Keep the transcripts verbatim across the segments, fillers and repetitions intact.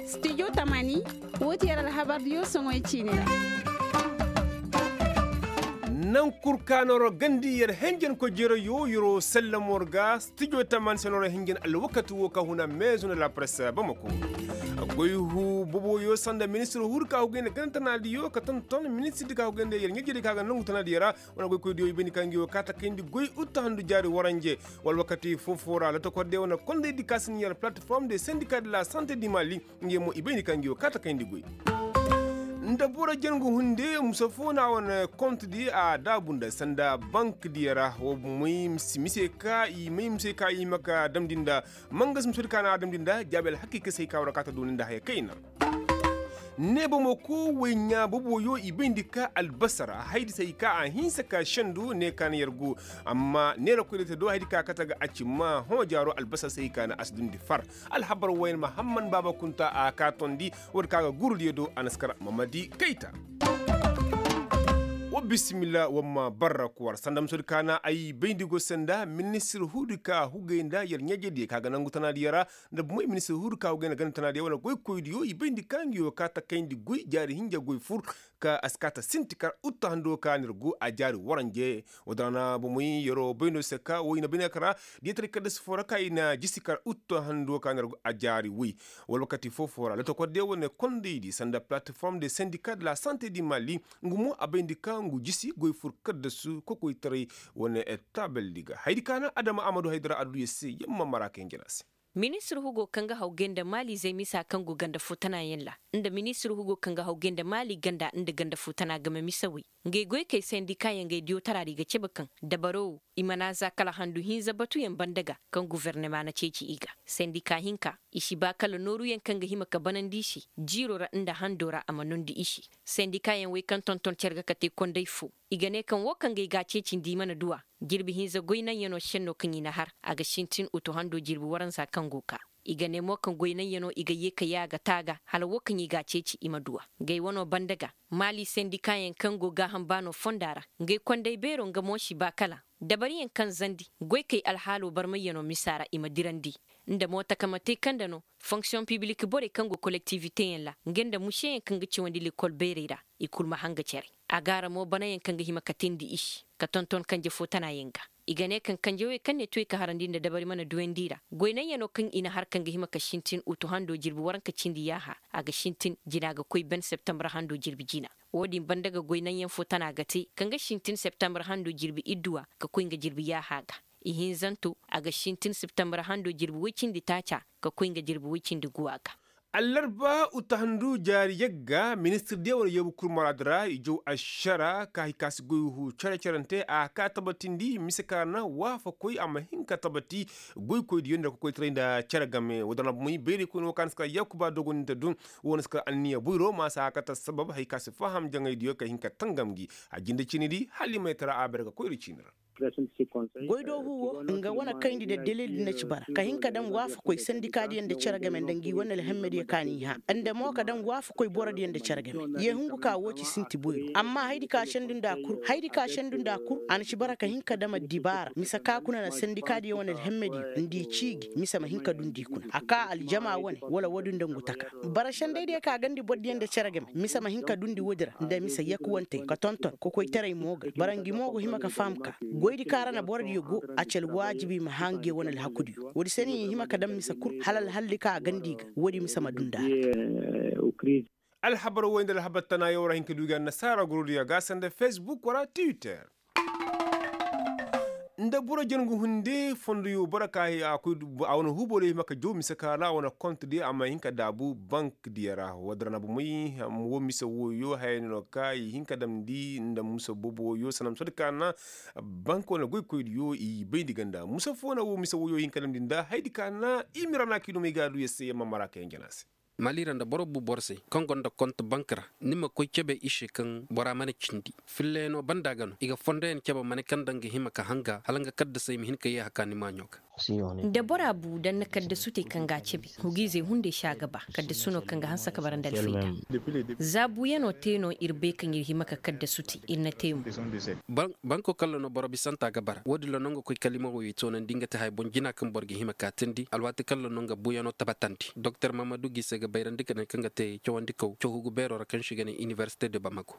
Studio tamani, woo ti yer alhabardiyo soŋoy ciini ra. Naŋ kul ka nooro gandi yer henjen koy jereyo yeroo sallamo ra ga studio tamani se nooro henjen alwakati woo ka huna meezo nda la presse bamako. Goy huu boboyo sanda ministir huudi ka hugay nda ganda tanaadiyo ka tonton ministirdi ka hugay nda yer ɲaajediyo ka ga nongu tanaadiyo ra. Wane goykoydiyo i bayndi ka ngi woo ka takayndi goy utta handu jaari waranje. Wala wakati foo-foo ra lotokordiyo wane kondaydi ka si ni yer plateforme de sendika de la sante di mali. Ngey mo i bayndi ka ngi woo ka takayndi goy. Nda boro jangu hunde musa foo na wane kontedi a daabu nda sanda bankdiyo ra woo may mise ka i may mise ka i hima ka damndi nda mangas musodi ka na a damndi nda jaabi alhakiika se hay ka war a kaata dooni nda haya kayna. Ne bomo ko woy ɲaa boboyo i bayndi ka albasar haydi se hay ka a hinsa ka sendu ne ka na yer go. Amma neera koyra te do haydi ka kate ga a ci ma hõ jaaro albasar se hay ka na a si dundi far. Alhabar woyne mahamman baaba kunta a ka tondi. Woodi ka ga gurudiyo do a na si kar mamadi kayta. Wa bisimilla wa ma barra kuwar sanda musodi ka na ay bayndi go sanda ministir huudi ka hugay nda yer ɲaajediyo ka ga nangu tanaadiyo ra. Nda bumey ministir huudi ka hugay nda ganda tanaadiyo wane goykoydiyo i bayndi ka ngi woo ka takayndi goy jaari hinja goy fur. Ka a si kaata sinti kar utta hando ka na ir go a jaari waranje. Woo dana bumey yeroo bayno se ka woo i na bayndi ka ra diyataray kadda si foo ra ka i na jisi kar utta hando ka na ir go a jaari woy. Wala wakati foo-foo ra lotokordiyo wane kondaydi sanda plateforme de sendika de la sante di mali. Ngu mo a bayndi ka ngu jisi goy fur kaddasu kokoytaray wane taabeldi ga haydi ka na adama amadu haydara adduya se yamma mara ka hinjina se. Ministir hugo kaŋ ga hawgay nda maalizey misa kaŋ go ganda foo tanayaŋ ra nda ministir hugo kaŋ ga hawgay nda maali ganda nda ganda foo tana game misawey. Ngey goykey sendikaayaŋ ngey diyotara ra i ga cabe kaŋ dabaro wo i mana za kala handu hinza batuyaŋ banda ga kaŋ gofornama na ceeci i ga. Sendikaa hinka i si ba kala nooruyaŋ kaŋ ga hima ka banandi i se jiiro ra nda hando ra a ma noondi i se. Sendikaayaŋ wey kaŋ tonton cere ga kate konday foo i ga ne kaŋ woo kaŋ ga i ga a ceecindi i mana du a. Jirbi hinza goy naŋyanoo senno kaŋ i na har a ga sintin utu hando jirbi waranza kaŋ go kaa. I ga ne mo kaŋ goy naŋyanoo i ga yee ka yee a ga taa ga hala woo kaŋ i ga a ceeci i ma du a. Ngey wanoo banda ga maali sendikaayaŋ kaŋ go gaaham baanoo fonda ra ngey konday beeroo nga mo si ba kala dabariyaŋ kaŋ zandi goykey alhaaloo barmayyanoo misa ra i ma dirandi. Nda mo takama te kaŋ nda no fonksiyoŋ pibilik borey kaŋ go kolektiwiteyaŋ ra nga nda museyaŋ kaŋ ga cawandi lekol beerey ra. I kul ma hanga cere a gaara mo banayaŋ kaŋ ga hima ka teendi i se ka tonton kanje foo tanayaŋ ga. I ga ne kaŋ kanjawey kaŋ ne tuwey ka harandi nda dabari mana duyandi i ra goy naŋyanoo kaŋ i na har kaŋ ga hima ka sintin utu hando jirbi waranka cindi yaaha a ga sintin jina ga koy ben septembar hando jirbi jina. Woo din banda ga goy naŋyaŋ foo tana ga te kaŋ ga sintin septembar hando jirbi idduwa ka koy nga jirbi yaaha ga. Ihinzanto a ga sintin septembar hando jirbi woy cindi taaca ka koy nga jirbi woy cindi guwa ga. Allarba uttahandu jaari yagga ministir diya wane yoobu kul maraadu ra i jaw ašara ka hay ka si goy hu cere-cerante a ka tabatindi mise ka na waafakoy a ma hin ka tabati. Goykoy diyo nda ka koytaray nda cere game woo dana bumey bayraykoy no ka na si ka yaakuba dogo ni nda dun. Woo na si ka anniya boyro ma si a ka ta sabab hay ka si faham jaŋay diyo ka hin ka tangam gi. A jinde ciini di hala i ma ay tara a bare ka koyra ciini ra. Goydoohu wo nga wane kayndi nda delil di na ci bara ka hin ka daŋ waafakoy sandikaadiyaŋ nda cere game nda ngi wane alhammadiyo ka n'i hã nda mo ka daŋ waafakoy borodiyaŋ nda cere game. Ye hungu ka woo ci sinti boyro amma haydi ka sendu nda kur haydi ka sendu nda kur a na ci bara ka hin ka dam addibaara mise ka kuna na sandikaadiyaŋ wane alhammadiyo nda i ciiji mise ma hin ka dundi i kuna a ka aljama wane wala woodin nda ngu taka. Bara sendaydiyo ka gandi bordiyaŋ nda cere game mise ma hin ka dundi woodi ra nda mise yakuwantey ka tonton kokoytaray mo ga bara ngi mo go hima ka faham ka goydi kaŋ ra na borodiyo go. A ci alwaajibi i ma hã ngiyo wane alhakudiyo woodi se no i hima ka daŋ mise kul hala alhalli kaŋ a gandi ga woodi mise ma dunda a ga. Alhabar woy nda alhabar tanayaŋ ra hin ka du ga annasaara gorodiyo ga sanda fesbuk wala twitter. Nda boro jangu hunde fondoyo boro ka a wane huuboyro hima ka jaw mise ka ra a wane kont diyo a ma hin ka daabu bank diyo ra woo dira na bomey. Woo mise wooyo haya no ka i hin ka damndi nda mise boboyo sanda mise di ka na bank wane goykoydiyo i bayndi ganda mise foo na woo mise wooyo hin ka damndi nda hayadi ka na i mira na ka i dumey ga a du yer se yer ma mara ka yaŋ jana se. Mali ra nda boro bu boro se kaŋ gonda kont bank ra, ni ma koy cebe i se kaŋ bora mana cindi. Fillayaŋo banda ga no i ga fondoyaŋ cebe mane kaŋ daŋ ga hima ka hanga hala nga kaddasey ma hin ka yeeha ka ni maaɲo ga. Da bora bu daŋ na kaddasu te kaŋ ga a cebe, hugiizey hunday si a ga ba kaddasu no kaŋ ga hanse ka bara nda alfayda. Za buuyaŋo te no ir bay kaŋ ir hima ka kaddasu te ir na te mo. Banko kaŋ ra no boro bisanta ga bara wo- din ra no nga koy kala i ma woyey toonandi nga te haya boŋ jina kaŋ boro ga hima ka teendi alwaati kaŋ ra no nga buuyaŋo tabatandi doktor mahamadu gise ga bayrandi ka ne kaŋ ga te cawandikaw cawhugu beero ra kaŋ se i ga ne inibersite de bamako.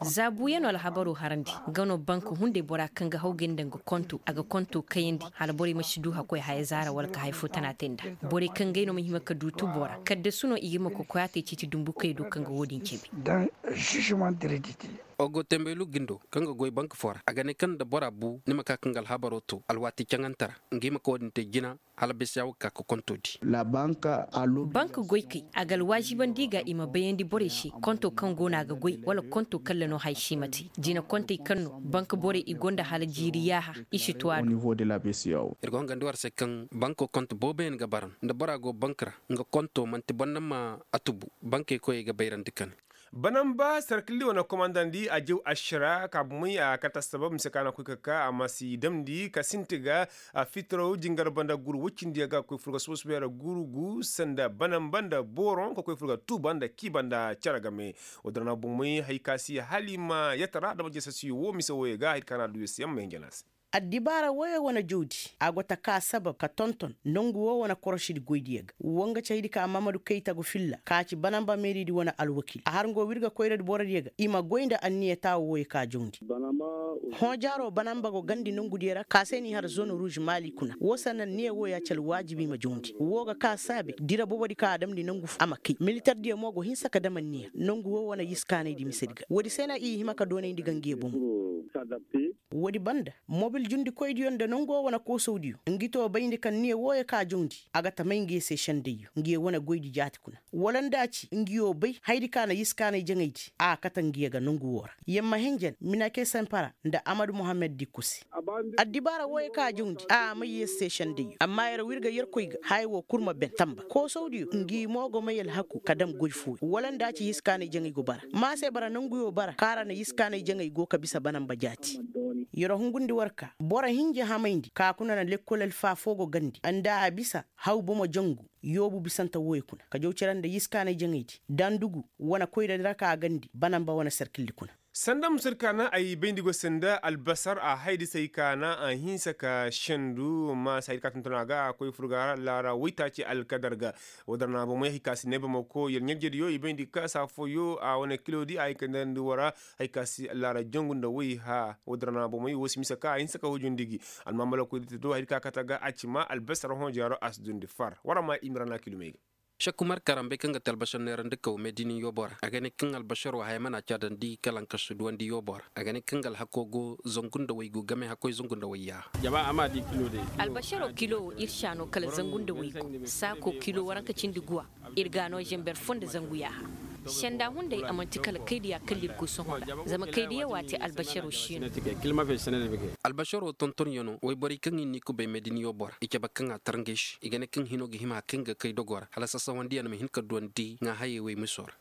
Za buuyaŋo alhabaro harandi, nga no bank hunday bora kaŋ ga hawgay nda nga konto a ga konto kayandi hala borey ma si du hakkoy haya zaara wala ka haya fo tana te nda. Borey kaŋ gay no ma hima ka du tubo ra kaddasu no i ga hima ka koy a te ciiti dumbukey do kaŋ ga wo- din cebe. Ogo tembelu gindo kaŋ ga goy bank fo ra a ga ne kaŋ nda bora bu ni ma ka kaŋ ga alhabaro to alwaati caŋante ra, nga hima ka wo- din te jina hala bese ya wo ga ka ka konto di. Bank goykey a ga alwaazibandi i ga i ma bayandi borey se konto kaŋ go no a ga goy wala konto kaŋ ra no haya si i ma te. Jina kontey kaŋ no bank borey i gonda hala jiiri yaaha i si tuwa do. Ir ga hongandi war se kaŋ banko konto booboyaŋ ga bara nda bora go bank ra, nga konto man'ti boro naŋ ma a tubu. Bankey koyey ga bayrandi ka ne. Banamba sarkilli wane komandandi a jaw ašara ka bumey a kate assabab mise ka na koy ka ka a ma si damndi ka sinti ga. Fitiraw jingar banda guru woy cindi yaŋ ga koy fur ga suba suba yara guru gu sanda banamba nda booroŋ ka koy fur ga tuuba nda kiiba nda cere game. Wo- din ra na bumey hari ka si hala i ma yatara adama jeesasiyo wo mise wooyey ga hari ka na du ya se yaŋ ma hinja no a se. Addibaara woyoo wane jawdi a go ta ka sabab ka tonton nongu woo wane korošidi goydiyo ga. Woo nga ci haydi ka mamadu kayta go filla ka ci banamba meeridi wane alwakil a har nga woo wirga koyradi borodiyo ga i ma goy nda anniya taawo wooyoo ka jawndi. Hõojaaroo banamba go gandi nongudiyo ra ka se n'i har zone ruuz maali kuna woo sanna anniya wooyoo ya ci alwaajibi i ma jawndi woo ga ka saabe dira bobodi ka a damndi nongu foo a ma kay militardiyo mo go hinsa ka dam anniya nongu woo wane yiskaanaydi misedi ga woodi se na i hima ka doonayndi ga ngiyo bomo. Woodi banda mobil jundikoydiyo nda nongo wane koosawdiyo ngi too bayndi kaŋ niyo wooyo ka jawndi a ga tamay ngiyo se sendayyo ngiyo wane goydi jaati kuna wala nda a ci ngiyo bay hayadi ka na yiskaanay jaŋaydi a kate ngiyo ga nongu woo ra yer ma hinjan minake sempara nda amadu muhammad dikko se. Addibaara wooyo ka jawndi a may yer se sendayyo amma yer w'ir ga yerkoy ga haya woo kul ma ben tamba koosawdiyo ngi mo go may alhaku ka dam goy fooyo wala nda a ci yiskaanay jaŋay go bara ma se bara nonguyo bara kaŋ a ra na yiskaanay jaŋay go ka bisa banamba jaati. Yer hungundi war ka boro hinja hamayndi ka kuna na lekkol alfa foo go gandi nda a bisa haw bomo jangu yoobu bisante wooyo kuna ka jaw cere nda yiskaanay jaŋaydi dandugu wane koyradi ra ka a gandi banamba wane sarkildi kuna. Sanda musadi ka na ay bayndi go sanda albasar a haydi se ay ka na a hinsa ka sendu ma se haydi ka tonton a ga a koy furga ra laara waytaaci alkadar ga. Woo din ra na bomey hay ka si neebamako yer ɲarjediyo i bayndi ka saa fooyo a wane kilodi a hay ka neerandi woo ra. Hay ka si laara jangu nda way haa woo din ra na bomey woo si mise ka a hinsa ka hujundi gi. Almaamalakoydi te do haydi ka kate ga a ci ma albasar hõ jaaro a si dundi far war a ma i ma ra na kilomey ga. Šekku marka ra mbay kaŋ ga te albasar neerandikaw meedini yoobo ra a ga ne kaŋ albasaroo haya mana caadandi kala nka si duwandi yoobo ra a ga ne kaŋ ga alhakoo go zangu nda waygu game hakkoy zangu nda wayyaaha. Albasaroo kilo wo ir si a no kala zangu nda waygu saakoo kilo waranka cindi guwa. Ir ga a no zanber foo nda zangu yaaha. Senda hunday a man'ti kala kaydiya kala ir go sohõ ra zama kaydiya waati albasaroo si no. Albasaroo tontonyanoo wayborey kaŋ i n'i kubay meedini yoobo ra i cabe kaŋ a tar ngey se i ga ne kaŋ hinoo ga hima hari kaŋ ga kay dogoo ra hala sasawandiyaŋ ma hin ka duwandi ŋaahayey wey misoo ra.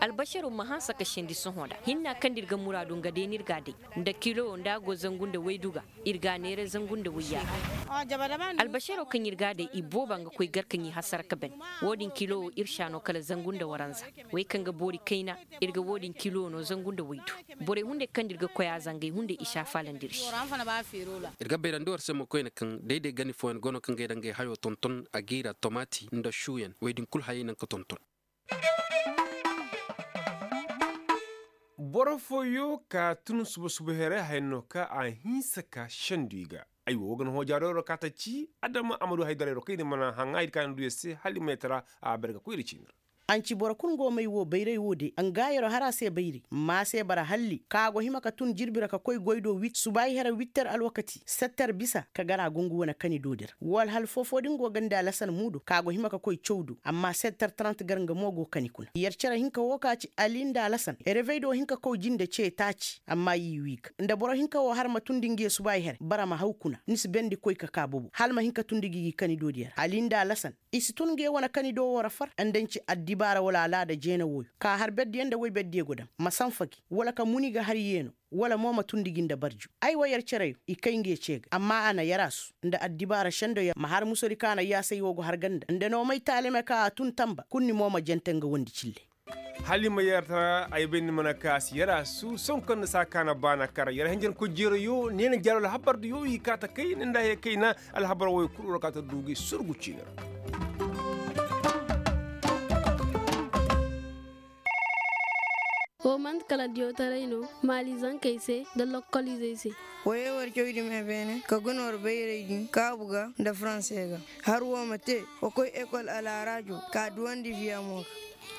Albasaroo ma hanse ka sendi sohõ ra hinna kaŋ nda ir ga muraadu nga day no ir ga a day. Nda kilo nda a go zangu nda waydu ga ir ga a neera zangu nda wayya. Albasaroo kaŋ ir ga a day i booba nga koy gar kaŋ i hasara ka ban. Woo din kilo ir si a no kala zangu nda waranza. Wey kaŋ ga boori kayna ir ga woo din kilo no zangu nda waydu. Borey hunday kaŋ nda ir ga koy a zangay hunday i si a faalandi ir se. Ir ga bayrandi war se mo koyne kaŋ day-day gani fooyaŋ go no kaŋ ga ay daŋ ga ay hayoo tonton a ga i ra tomaati nda suuyaŋ wey din kul hayey naŋ ka tonton. Boro fooyo ka tun suba-suba here haya no ka a hinsa ka sendu i ga. Aywa woo ga na hõ jaaroo ra ka ta ci adama amadu haydarayro kaŋ i na mana haŋa ir kaŋ a na du ya se hala i ma yatara a bare ga koy ir ciini ra. A na ci boro kul nga wo may wo bayray wo de nga yeroo har a se bayray ma a se bara halli ka a go hima ka tun jirbi ra ka koy goy do wit subaayi here witter alwakati setter bisa ka gar a go nga wane kani do di ra wala hal foofoo da nga go ga nda alasan muudo ka a go hima ka koy caw do amma setter trant gar nga mo go kani kuna yer cere hinka wo ka ci ali nda alasan revey do hin ka koy jinde ce taaci amma i wii ga nda boro hinka wo har ma tundi nga ye subaayi here bara ma haw kuna ni si bendi koy ka ka bobo hala ma hin ka tundi ga i kani do di ra ali nda alasan i si tun nga ye wane kani do wo ra far nda ni ci addibaara wala alaada jeena wooyo ka har berdiyo nda woy berdiyo go dam ma sanfa gi wala ka muni ga har yeeno wala mo ma tundi gi nda barju ay wa yer cere yo i kay nga ye ce ga amma a na yer a su nda addibaara sendo yer ma har musodi ka na yaasay wo go har ganda nda noomay taalime ka a tun tanba kul ni mo ma jente nga wondi cille. Hala i ma yer tara ay bay ni mana ka a si yer a su sohõ kaŋ na saa ka na baana kar yer hanjankoy jeero yo ne na jaaro alhabar da yo i kaa ta kay ni nda haya kayna alhabar wo i kul war kaa ta du ga i surgu ciini ra. Wo man'ti kala diyotaray no maali zankey se nda lokol izey se. Woyey war cawdi me beene ka guna war bayray din kaabu ga nda faranse ga. Har wo ma te wa koy ekol alaaraajo ka duwandi viyamo ga.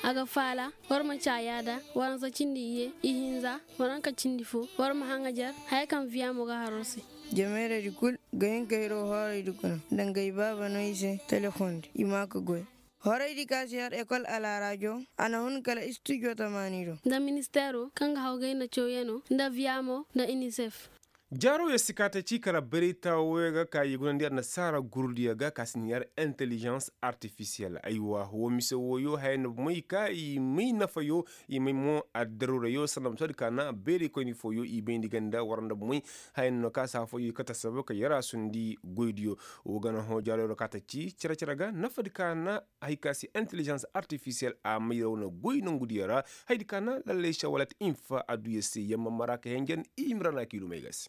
A ga faala war ma caayaada waransa cindi iyye ihinza waranka cindi fo war ma haŋajar haya kaŋ viyamo ga har war se. Jameeraydi kul ga hin ka hiroo hooraydi kuna nda nga i baaba no i se telefoŋ di i ma ka goy. Horaydi ka si har ekol alaaraajo a na hun kala istijo tamaani do. Nda ministeero kaŋ ga haw gayna cawyanoo nda viyamo nda inisef. Jaaro ya si kaate ci kala bayray taawoyo ga ka i gunandi annasaara gurudiyo ga ka si ni har intelijans artifisiyel aywa wo mise wooyo haya na may ka i may nafayo i may mo addaruurayo sanda ma soodi ka na bayray koyni fooyo i bayndi ganda war nda may haya na no ka si hafoyo i kate assabab ka yaraasundi goydiyo. Wo ga na hõ jaaro ya ga ka ta ci cere-cere ga nafadi ka na hay ka si intelijans artifisiyel a may ra wane goy nongudiyo ra. Hayadi ka na lallay sawalat infa adduya se yamma mara ka henjen i himra na kiilumey ga se.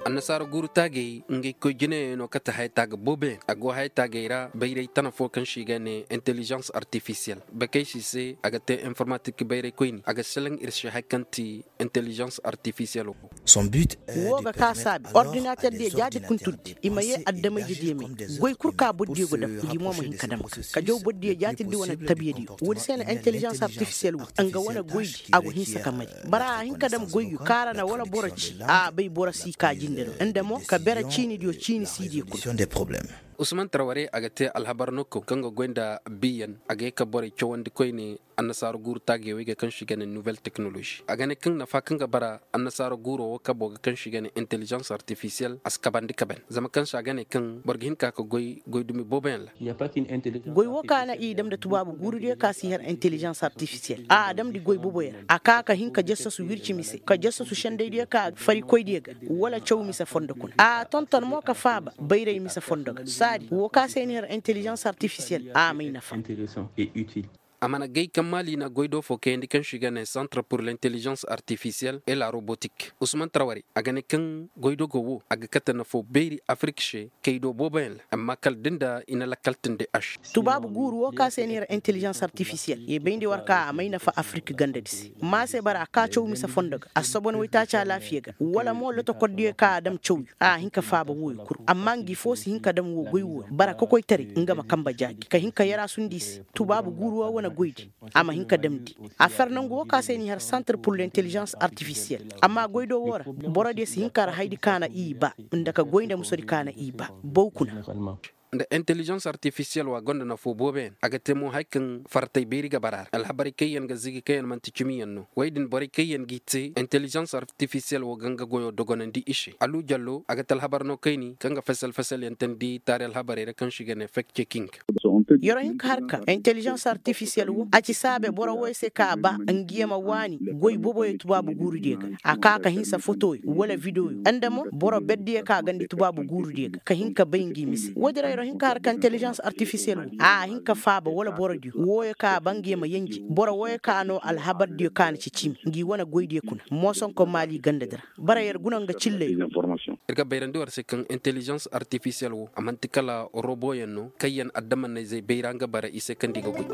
Annasaara guuru taagey ngey koy jinayaŋ no kate hayataaga booboyaŋ a go hayataagey ra bayray tana fo kaŋ se i ga ne intelijans artifisiyel bakey se i se a ga te informatik bayray koyni a ga selaŋ ir se hari kaŋ ti intelijans artifisiyel wo. Wo ga ka saabi ordinater diyo jaati kuntuddi i ma ye addamayje diyo me goy kul ka boro diyo go dam ngi mo ma hin ka dam ga ka jaw boro diyo jaati di wane tabiya diyo woodi se na intelijans artifisiyel wo nga wane goydi a go hinsa ka may bara a hin ka dam goyyo kaŋ ra na wala boro ci a bay boro si ka jinde no nda mo ka bere ciini diyo ciini si diyo kul. Usman tarware a ga te alhabar no kaŋ ga goy nda biyan a ga ye ka borey cawandi koyne. Annasaara guuru taagey wey ga kaŋ se i ga ne nuwel teknolozi a ga ne kaŋ nafa kaŋ ga bara annasaara guuro wo kabo ga kaŋ se i ga ne intelijans artifisiyel a si kabandi kaben zama kaŋ se a ga ne kaŋ boro ga hin ka ka goy goy dumi booboyaŋ ra. Goy wo ka na i dam nda tubaabu guuru diyo ka si har intelijans artifisiyel a a damndi goy boboyaŋ ra a ka ka hin ka jassasu wirci mise ka jassasu sendey diyo ka farikoy diyo ga wala caw mise fondo kuna a tonton mo ka faaba bayray mise fondo ga saadi wo ka se ni har intelijans artifisiyel a may nafa. A mana gay kaŋ maali na goy do fo kayandi kaŋ se i ga ne santre pur l'intelligence artifisiyel et la robotik usman tarwari a ga ne kaŋ goy do go wo a ga kate nafo beeri afirik se kay do booboyaŋ ra amma kala da nda i na lakkal tindi a se. Tubaabu guuru wo ka se ni ra intelligence artifisiyel ye bayndi war ka a may nafa afirik gandadi se ma se bara a ka caw mise fondo ga a si sobon waytaaci alaafiya ga wala mo lotokordiyo ka a dam cawyo a hin ka faaba wooyo kul amma ngi fo si hin ka dam wo goy wooyo bara kokoytaray nga ma kamba jaaji ka hin ka yaraasundi i se. Tubaabu guuru wo wane goydi a ma hin ka damndi a fer nangu wo ka se ni har santre pur l'intelligence artifisiyel amma goydo wo ra borodiyo si hin ka ra haydi ka na i ba nda ka goy nda musodi ka na i ba baw kuna. Nda intelligence artifisiyel wa gonda nafo booboyaŋ a ga te mo hari kaŋ faratey beeri ga bara ra alhabarey kaŋ yaŋ ga zigi kaŋ yaŋ manti cimiyaŋ no wey din borey kaŋ yaŋ g'i te intelligence artifisiyel wo ga nga goyo dogonandi i se alu jallo a ga te alhabar no kayni kaŋ ga fesel fesel yaŋ teendi taari alhabarey ra kaŋ se i ga ne fek ceking. Yero hinka harka intelligence artifisiyel wo a ci saabe boro woy se ka a ba ngi ye ma waani goy boboyo tubaabu guurudiyo ga a ka ka hinsa fotoyo wala videoyo nda mo boro berdiyo ka gandi tubaabu guurudiyo ga ka hin ka bay ngi mise woodin ra yero hinka harka intelligence artifisiyel wo a hin ka faaba wala borodiyo wooyo ka a ba ngi ye ma yenje boro wooyo ka no alhabardiyo ka na ci cimi ngi wane goydiyo kuna moosonko maali gandadi ra. Bara yer guna nga cilley. Ir ga bayrandi war se kaŋ intelligence artifisiyel wo a man'ti kala roboyaŋ no kaŋ yaŋ adamannayzey bayra nga bara i se kaŋ nda i ga goy.